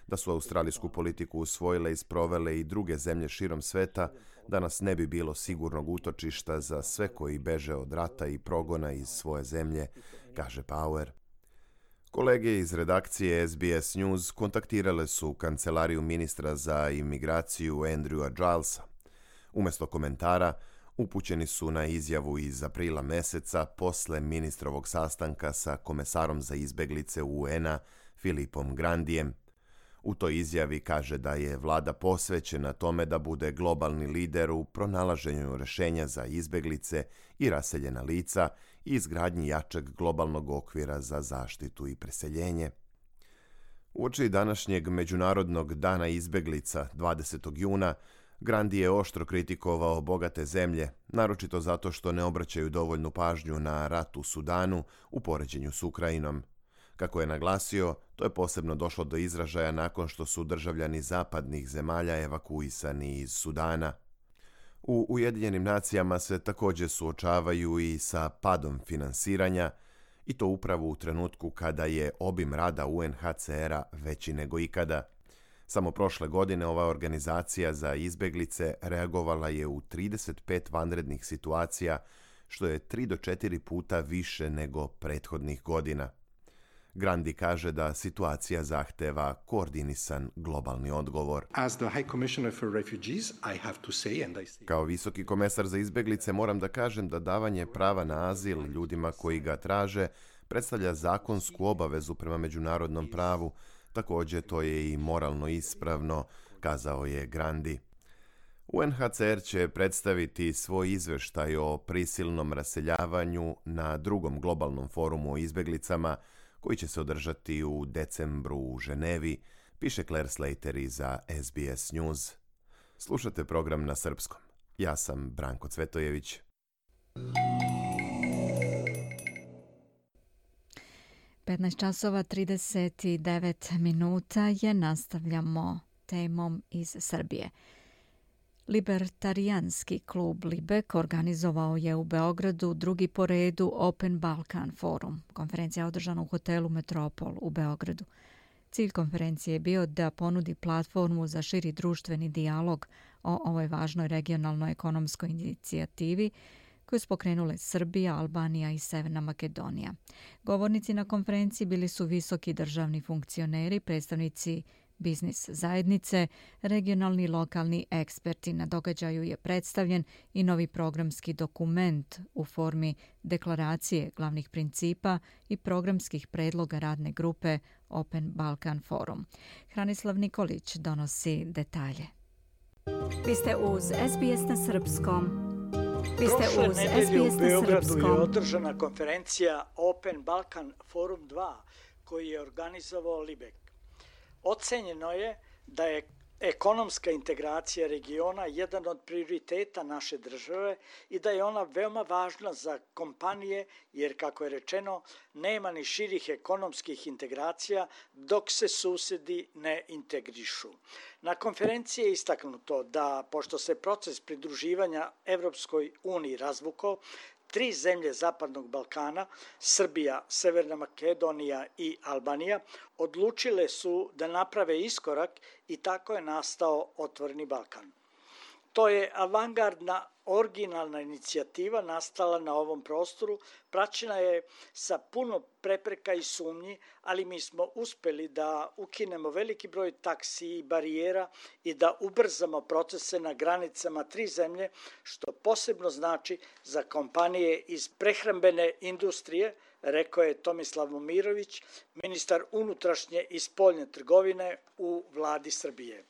Da su australijsku politiku usvojile i sprovele i druge zemlje širom sveta, danas ne bi bilo sigurnog utočišta za sve koji beže od rata i progona iz svoje zemlje, kaže Power. Kolege iz redakcije S B S News kontaktirale su kancelariju ministra za imigraciju Andrewa Gilesa. Umjesto komentara, upućeni su na izjavu iz aprila meseca posle ministrovog sastanka sa komesarom za izbjeglice U N-a Filipom Grandijem. U toj izjavi kaže da je vlada posvećena tome da bude globalni lider u pronalaženju rješenja za izbjeglice i raseljena lica i izgradnji jačeg globalnog okvira za zaštitu i preseljenje. Uoči današnjeg Međunarodnog dana izbjeglica dvadesetog juna, Grandi je oštro kritikovao bogate zemlje, naročito zato što ne obraćaju dovoljnu pažnju na rat u Sudanu u poređenju s Ukrajinom. Kako je naglasio, to je posebno došlo do izražaja nakon što su državljani zapadnih zemalja evakuisani iz Sudana. U Ujedinjenim nacijama se također suočavaju i sa padom finansiranja, i to upravo u trenutku kada je obim rada U N H C R-a veći nego ikada. Samo prošle godine ova organizacija za izbjeglice reagovala je u trideset pet vanrednih situacija, što je tri do četiri puta više nego prethodnih godina. Grandi kaže da situacija zahteva koordinisan globalni odgovor. As the High Commissioner for Refugees, I have to say, and I say... Kao visoki komesar za izbeglice moram da kažem da davanje prava na azil ljudima koji ga traže predstavlja zakonsku obavezu prema međunarodnom pravu, također to je i moralno ispravno, kazao je Grandi. U en ha ce er će predstaviti svoj izveštaj o prisilnom raseljavanju na drugom globalnom forumu o izbeglicama koji će se održati u decembru u Ženevi, piše Claire Slater za es be es News. Slušate program na srpskom. Ja sam Branko Cvetojević. petnaest časova trideset devet minuta je, nastavljamo temom iz Srbije. Libertarijanski klub Libek organizovao je u Beogradu drugi po redu Open Balkan Forum. Konferencija je održana u hotelu Metropol u Beogradu. Cilj konferencije je bio da ponudi platformu za širi društveni dijalog o ovoj važnoj regionalnoj ekonomskoj inicijativi koju su pokrenule Srbija, Albanija i Severna Makedonija. Govornici na konferenciji bili su visoki državni funkcioneri, predstavnici biznis zajednice, regionalni i lokalni eksperti. Na događaju je predstavljen i novi programski dokument u formi deklaracije glavnih principa i programskih predloga radne grupe Open Balkan Forum. Hranislav Nikolić donosi detalje. Vi ste uz es be es na srpskom. Vi ste uz es be es na srpskom. U Beogradu je održana konferencija Open Balkan Forum dva koji je organizovao Libek. Ocenjeno je da je ekonomska integracija regiona jedan od prioriteta naše države i da je ona veoma važna za kompanije jer, kako je rečeno, nema ni širih ekonomskih integracija dok se susedi ne integrišu. Na konferenciji je istaknuto da, pošto se proces pridruživanja Evropskoj uniji razvukao, tri zemlje Zapadnog Balkana, Srbija, Severna Makedonija i Albanija, odlučile su da naprave iskorak i tako je nastao Otvoreni Balkan. To je avangardna, originalna inicijativa nastala na ovom prostoru, praćena je sa puno prepreka i sumnji, ali mi smo uspeli da ukinemo veliki broj taksi i barijera i da ubrzamo procese na granicama tri zemlje, što posebno znači za kompanije iz prehrambene industrije, rekao je Tomislav Momirović, ministar unutrašnje i spoljne trgovine u vladi Srbije.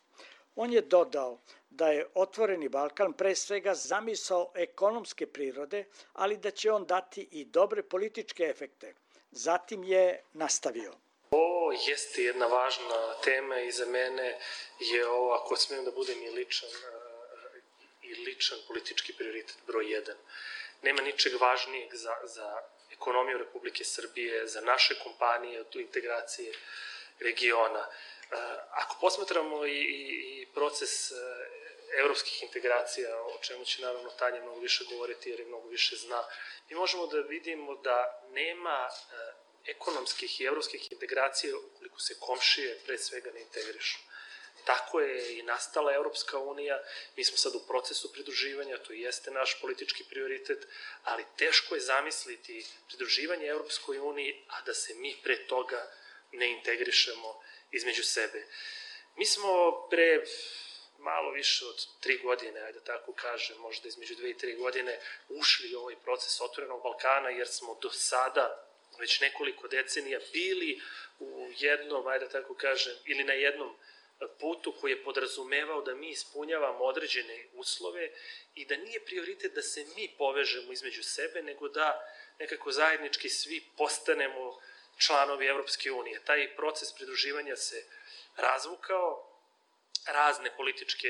On je dodao da je Otvoreni Balkan pre svega zamisao ekonomske prirode, ali da će on dati i dobre političke efekte. Zatim je nastavio. Ovo jeste jedna važna tema i za mene je ovo, ako smijem da budem i ličan, i ličan politički prioritet broj jedan. Nema ničeg važnijeg za, za ekonomiju Republike Srbije, za naše kompanije, tu integracije regiona. Ako posmatramo i, i proces evropskih integracija, o čemu će naravno Tanja mnogo više govoriti jer je mnogo više zna, mi možemo da vidimo da nema ekonomskih i evropskih integracija ukoliko se komšije pre svega ne integrišu. Tako je i nastala Evropska unija, mi smo sad u procesu pridruživanja, to jeste naš politički prioritet, ali teško je zamisliti pridruživanje Evropskoj uniji, a da se mi pre toga ne integrišemo između sebe. Mi smo pre malo više od tri godine, ajde tako kažem, možda između dve i tri godine, ušli u ovaj proces Otvorenog Balkana, jer smo do sada već nekoliko decenija bili u jednom, ajde tako kažem, ili na jednom putu koji je podrazumevao da mi ispunjavamo određene uslove i da nije prioritet da se mi povežemo između sebe, nego da nekako zajednički svi postanemo članovi Evropske unije. Taj proces pridruživanja se razvukao, razne političke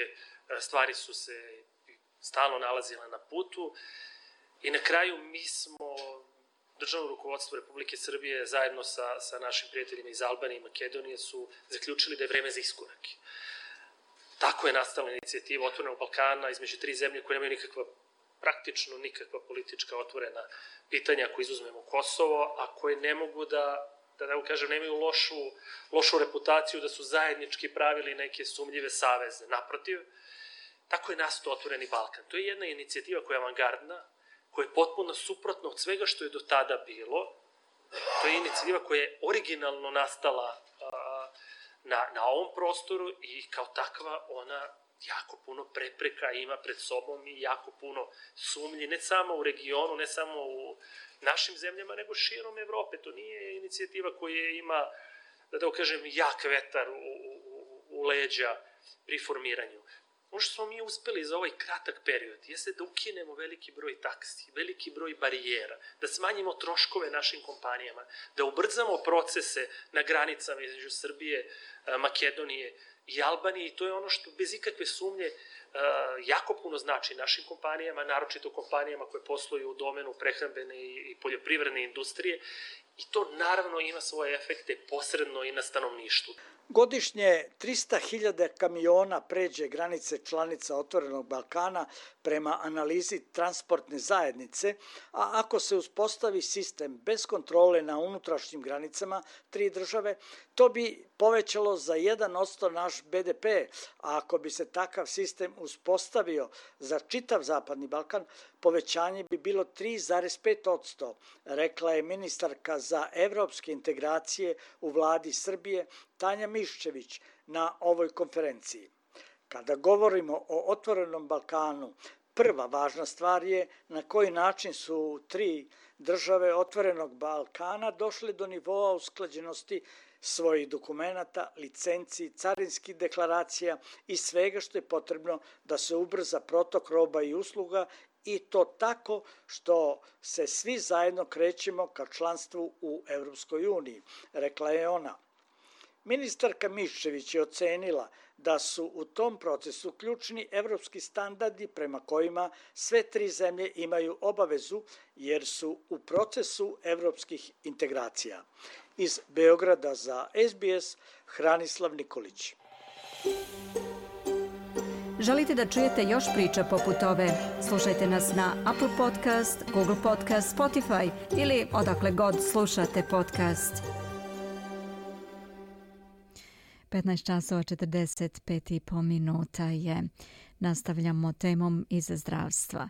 stvari su se stalno nalazile na putu i na kraju mi smo, državno rukovodstvo Republike Srbije zajedno sa, sa našim prijateljima iz Albanije i Makedonije su zaključili da je vreme za iskorak. Tako je nastala inicijativa Otvorenog Balkana između tri zemlje koje nemaju nikakva, praktično nikakva politička otvorena pitanja, ako izuzmemo Kosovo, a koje ne mogu da, da ne kažem, nemaju lošu, lošu reputaciju da su zajednički pravili neke sumnjive saveze. Naprotiv, tako je nastao Otvoreni Balkan. To je jedna inicijativa koja je avangardna, koje je potpuno suprotno od svega što je do tada bilo. To je inicijativa koja je originalno nastala na, na ovom prostoru i kao takva ona jako puno prepreka ima pred sobom i jako puno sumnji, ne samo u regionu, ne samo u našim zemljama, nego širom Evrope. To nije inicijativa koja ima, da da kažem, jak vetar u, u, u leđa pri formiranju. Ono što smo mi uspeli za ovaj kratak period jeste da ukinemo veliki broj taksi, veliki broj barijera, da smanjimo troškove našim kompanijama, da ubrzamo procese na granicama između Srbije, Makedonije i Albanije i to je ono što bez ikakve sumnje jako puno znači našim kompanijama, naročito kompanijama koje posluju u domenu prehrambene i poljoprivredne industrije i to naravno ima svoje efekte posredno i na stanovništvu. Godišnje trista hiljada kamiona pređe granice članica Otvorenog Balkana prema analizi transportne zajednice, a ako se uspostavi sistem bez kontrole na unutrašnjim granicama tri države, to bi povećalo za jedan posto naš be de pe, a ako bi se takav sistem uspostavio za čitav Zapadni Balkan, povećanje bi bilo tri zarez pet posto, rekla je ministarka za evropske integracije u vladi Srbije Tanja Miščević na ovoj konferenciji. Kada govorimo o Otvorenom Balkanu, prva važna stvar je na koji način su tri države Otvorenog Balkana došle do nivoa usklađenosti svojih dokumenata, licenci, carinskih deklaracija i svega što je potrebno da se ubrza protok roba i usluga i to tako što se svi zajedno krećemo ka članstvu u Evropskoj uniji, rekla je ona. Ministarka Miščević je ocenila da su u tom procesu ključni evropski standardi prema kojima sve tri zemlje imaju obavezu jer su u procesu evropskih integracija. Iz Beograda za es be es, Hranislav Nikolić. Želite da čujete još priča poput ove? Slušajte nas na Apple Podcast, Google Podcast, Spotify ili odakle god slušate podcast. petnaest časova četrdeset pet i po minuta je. Nastavljamo temom iz zdravstva.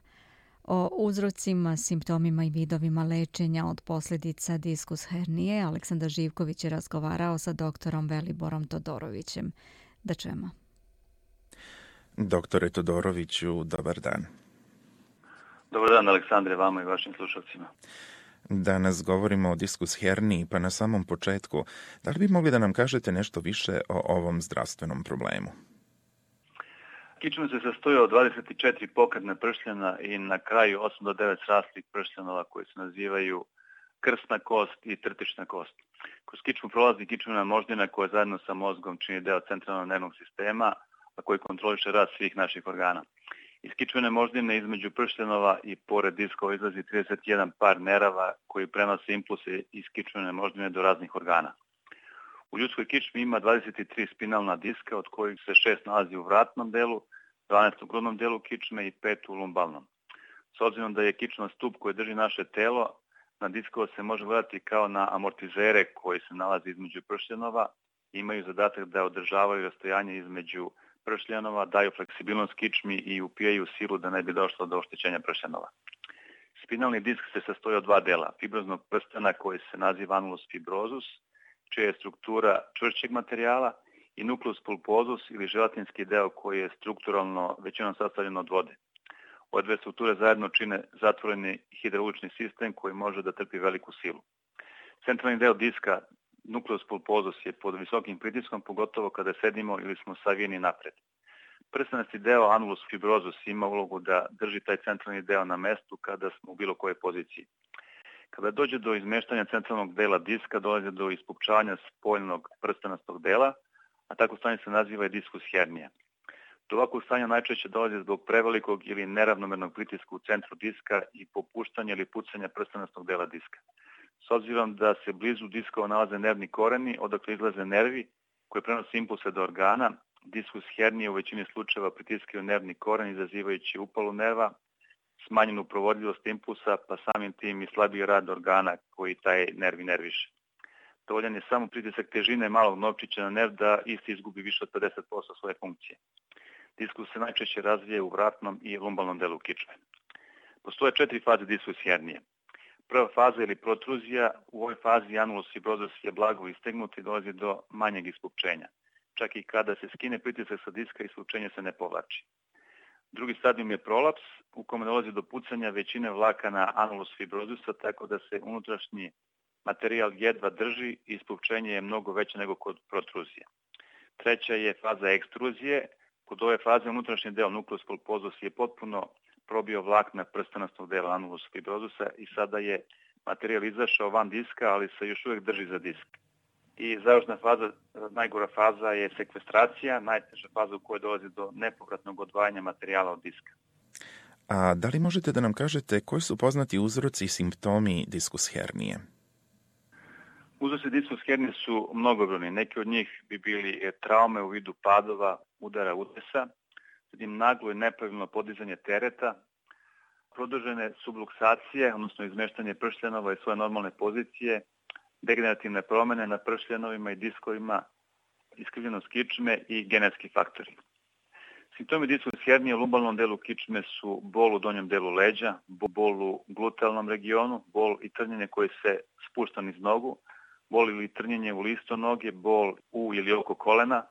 O uzrocima, simptomima i vidovima lečenja od posljedica diskus hernije Aleksandar Živković je razgovarao sa doktorom Veliborom Todorovićem. Da čujemo. Doktore Todoroviću, dobar dan. Dobar dan, Aleksandre, vama i vašim slušalcima. Danas govorimo o diskus herniji, pa na samom početku, da li bi mogli da nam kažete nešto više o ovom zdravstvenom problemu? Kičma se sastoji od dvadeset četiri pokretna pršljena i na kraju osam do devet sraslih pršljenova koji se nazivaju krsna kost i trtična kost. Kroz kičmu prolazi kičmena moždina koja zajedno sa mozgom čini deo centralnog nervnog sistema, a koji kontroliše rad svih naših organa. Iz kičmene moždine između pršljenova i pored diskova izlazi trideset jedan par nerava koji prenose impulse iz kičmene moždine do raznih organa. U ljudskoj kičmi ima dvadeset tri spinalna diska, od kojih se šest nalazi u vratnom delu, dvanaest u grudnom delu kičme i pet u lumbalnom. S obzirom da je kičma stup koji drži naše telo, na diskova se može gledati kao na amortizere koji se nalazi između pršljenova i imaju zadatak da održavaju rastojanje između pršljenova, daju fleksibilnost kičmi i upijaju silu da ne bi došlo do oštećenja pršljenova. Spinalni disk se sastoji od dva dela, fibroznog prstena koji se naziva annulus fibrosus, čija je struktura čvršćeg materijala, i nucleus pulposus ili želatinski deo koji je strukturalno većinom sastavljen od vode. Ove dve strukture zajedno čine zatvoreni hidraulični sistem koji može da trpi veliku silu. Centralni deo diska, nucleus pulposus, je pod visokim pritiskom, pogotovo kada sedimo ili smo savijeni napred. Prstenasti deo annulus fibrosus ima ulogu da drži taj centralni deo na mestu kada smo u bilo kojoj poziciji. Kada dođe do izmeštanja centralnog dela diska, dolazi do ispupčavanja spoljnog prstenastog dela, a tako stanje se naziva i diskus hernija. Do ovakvog stanja najčešće dolazi zbog prevelikog ili neravnomernog pritiska u centru diska i popuštanja ili pucanja prstenastog dela diska. S obzirom da se blizu diskova nalaze nervni koreni, odakle izlaze nervi koji prenose impulse do organa, diskus hernije u većini slučajeva pritiskaju nervni koren izazivajući upalu nerva, smanjenu provodljivost impulsa, pa samim tim i slabiji rad organa koji taj nerv nerviše. Dovoljan je samo pritisak težine malog novčića na nerv da isti izgubi više od pedeset posto svoje funkcije. Diskus se najčešće razvije u vratnom i lumbalnom delu kičme. Postoje četiri faze diskus hernije. Prva faza ili protruzija, u ovoj fazi anulus fibrozus je blago istegnut i dolazi do manjeg ispupčenja. Čak i kada se skine pritisak sa diska, ispupčenje se ne povlači. Drugi stadijum je prolaps, u kome dolazi do pucanja većine vlakana anulus fibrozusa, tako da se unutrašnji materijal jedva drži i ispupčenje je mnogo veće nego kod protruzije. Treća je faza ekstruzije. Kod ove faze unutrašnji deo nucleus pulposus je potpuno probio vlakna prstenastog dela anulus fibrozusa i sada je materijal izašao van diska, ali se još uvijek drži za disk. I završna faza, najgora faza je sekvestracija, najteža faza u kojoj dolazi do nepovratnog odvajanja materijala od diska. A da li možete da nam kažete koji su poznati uzroci i simptomi diskus hernije? Uzroci diskus hernije su mnogobrojni. Neki od njih bi bili traume u vidu padova, udara, udesa, zatim naglo i nepravilno podizanje tereta, produžene subluksacije, odnosno izmeštanje pršljanova iz svoje normalne pozicije, degenerativne promene na pršljanovima i diskovima, iskrivljenost kičme i genetski faktori. Simptomi diskus hernije u lumbalnom delu kičme su bol u donjem delu leđa, bol u glutealnom regionu, bol i trnjenje koje se spušta niz nogu, bol ili trnjenje u listo noge, bol u ili oko kolena,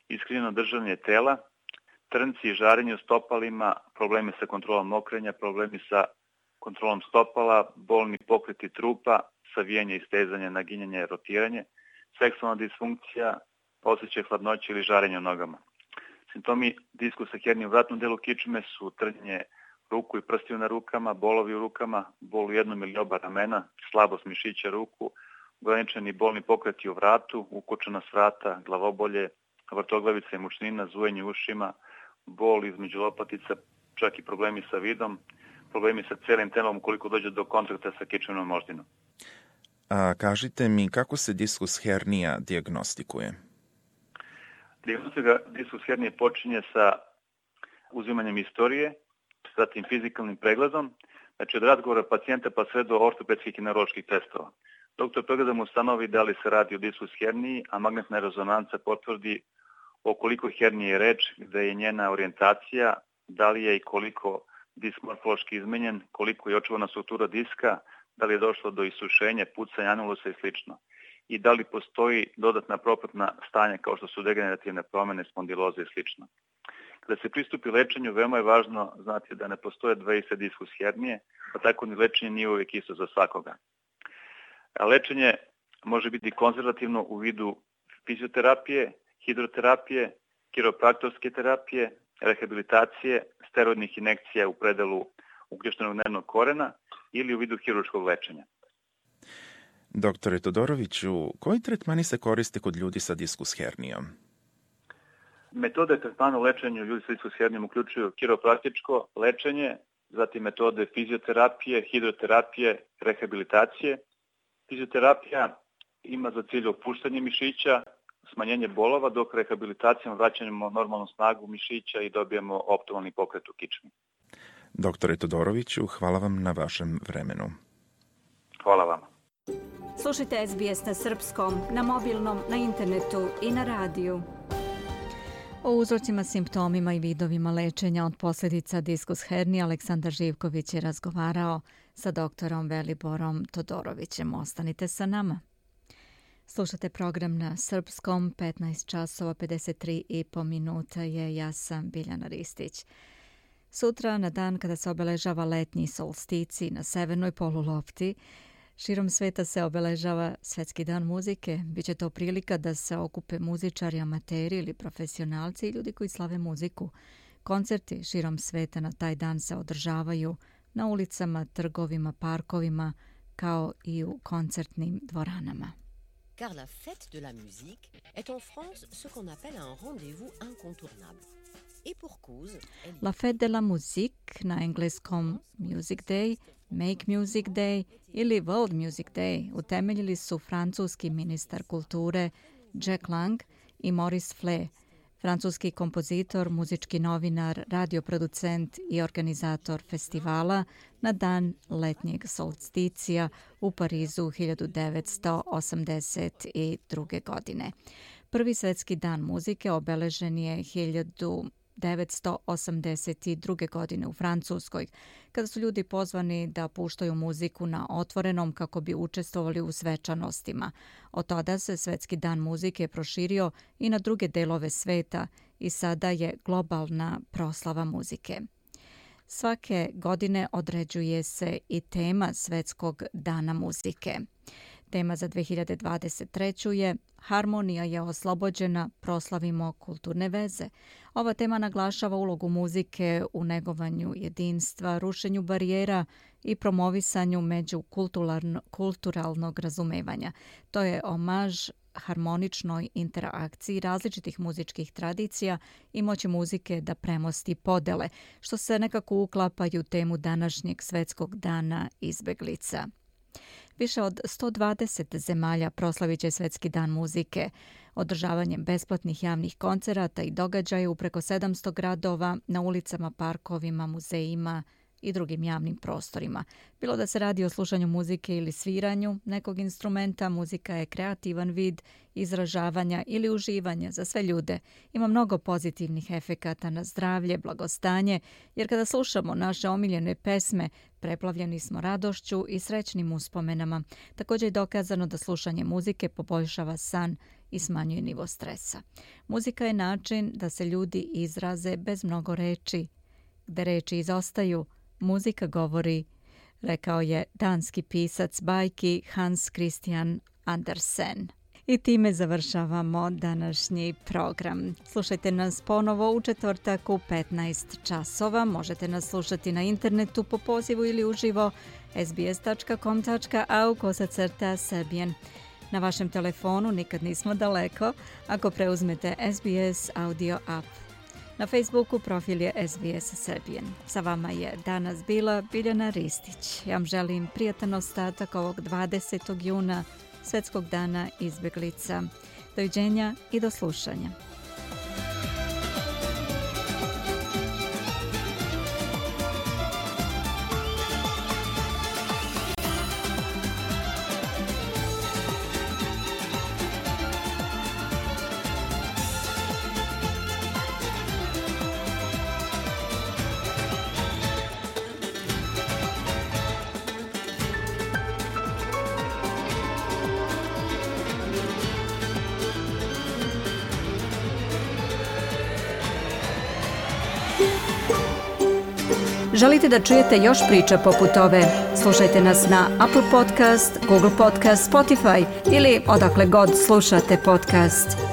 iskrivljeno držanje tela, trnci i žarenje u stopalima, problemi sa kontrolom mokrenja, problemi sa kontrolom stopala, bolni pokreti trupa, savijanje i stezanje, naginjanje, rotiranje, seksualna disfunkcija, osjećaj hladnoće ili žarenje u nogama. Simptomi diskusa hernije u vratnom delu kičme su trnjenje ruku i prstiju na rukama, bolovi u rukama, bol u jednom ili oba ramena, slabost mišića ruku, ograničeni bolni pokreti u vratu, ukočena s vrata, glavobolje, vrtoglavica i mučnina, zujenje u ušima, bol između lopatica, čak i problemi sa vidom, problemi sa celim telom ukoliko dođe do kontakta sa kičmenom moždinom. A kažite mi kako se diskus hernija dijagnostikuje? Dijagnostika diskus hernije počinje sa uzimanjem istorije, zatim fizikalnim pregledom, znači od razgovora pacijenta pa sve do ortopedskih i neuroloških testova. Doktor pregledom ustanovi da li se radi o diskus herniji, a magnetna rezonanca potvrdi o koliko hernije je reč, gde je njena orijentacija, da li je i koliko disk morfološki izmenjen, koliko je očuvana struktura diska, da li je došlo do isušenja, pucanja anulusa i slično. I da li postoji dodatna propratna stanja kao što su degenerativne promene, spondiloze i slično. Kada se pristupi lečenju, veoma je važno znati da ne postoje dve iste diskus hernije, pa tako ni lečenje nije uvijek isto za svakoga. A lečenje može biti konzervativno u vidu fizioterapije, hidroterapije, kiropraktorske terapije, rehabilitacije, steroidnih injekcija u predelu uključenog nervnog korena ili u vidu hirurškog lečenja. Doktore Todoroviću, koji tretmani se koriste kod ljudi sa diskus hernijom? Metode tretmana u lečenju ljudi sa diskus hernijom uključuju kiropraktičko lečenje, zatim metode fizioterapije, hidroterapije, rehabilitacije. Fizioterapija ima za cilj opuštanje mišića, smanjenje bolova, dok rehabilitacijom vraćamo normalnu snagu mišića i dobijemo optimalni pokret u kičmi. Doktore Todoroviću, hvala vam na vašem vremenu. Hvala vama. Slušajte S B S na srpskom, na mobilnom, na internetu i na radiju. O uzrocima, simptomima i vidovima lečenja od posljedica diskus hernije Aleksandar Živković je razgovarao sa doktorom Veliborom Todorovićem. Ostanite sa nama. Slušate program na srpskom, petnaest časova pedeset tri i po minuta je, ja sam Biljana Ristić. Sutra, na dan kada se obeležava letnji solstici na severnoj polulopti, širom sveta se obeležava Svetski dan muzike. Biće to prilika da se okupe muzičari, amateri ili profesionalci i ljudi koji slave muziku. Koncerti širom sveta na taj dan se održavaju na ulicama, trgovima, parkovima, kao i u koncertnim dvoranama. Car la fête de la musique est en France ce qu'on appelle un rendez-vous incontournable. Et pour cause, La fête de la musique, na engleskom Music Day, Make Music Day ili World Music Day, utemeljili su francuski ministar kulture Jack Lang i Maurice Fle, francuski kompozitor, muzički novinar, radioproducent i organizator festivala na dan letnjeg solsticija u Parizu hiljadu devetsto osamdeset druge. godine. Prvi svetski dan muzike obeležen je hiljadu devetsto osamdeset druge. godine u Francuskoj, kada su ljudi pozvani da puštaju muziku na otvorenom kako bi učestvovali u svečanostima. Od tada se Svetski dan muzike proširio i na druge delove sveta i sada je globalna proslava muzike. Svake godine određuje se i tema Svetskog dana muzike. Tema za dve hiljade dvadeset treću. je Harmonija je oslobođena, proslavimo kulturne veze. Ova tema naglašava ulogu muzike u negovanju jedinstva, rušenju barijera i promovisanju međukulturalnog razumevanja. To je omaž harmoničnoj interakciji različitih muzičkih tradicija i moći muzike da premosti podele, što se nekako uklapaju u temu današnjeg Svetskog dana izbeglica. Više od sto dvadeset zemalja proslavit će Svetski dan muzike održavanjem besplatnih javnih koncerata i događaja u preko sedamsto gradova, na ulicama, parkovima, muzejima i drugim javnim prostorima. Bilo da se radi o slušanju muzike ili sviranju nekog instrumenta, muzika je kreativan vid izražavanja ili uživanja za sve ljude. Ima mnogo pozitivnih efekata na zdravlje, blagostanje, jer kada slušamo naše omiljene pesme, preplavljeni smo radošću i srećnim uspomenama. Također je dokazano da slušanje muzike poboljšava san i smanjuje nivo stresa. Muzika je način da se ljudi izraze bez mnogo reči. Gde reči izostaju, muzika govori, rekao je danski pisac bajki Hans Christian Andersen. I time završavamo današnji program. Slušajte nas ponovo u četvrtak u petnaest časova. Možete nas slušati na internetu po pozivu ili uživo es be es tačka com tačka a u kosacrta Serbian. Na vašem telefonu nikad nismo daleko ako preuzmete es be es audio app. Na Facebooku profil je es be es Serbian. Sa vama je danas bila Biljana Ristić. Ja vam želim prijatan ostatak ovog dvadesetog juna, Svetskog dana izbeglica. Doviđenja i do slušanja. Želite da čujete još priča poput ove? Slušajte nas na Apple Podcast, Google Podcast, Spotify ili odakle god slušate podcast.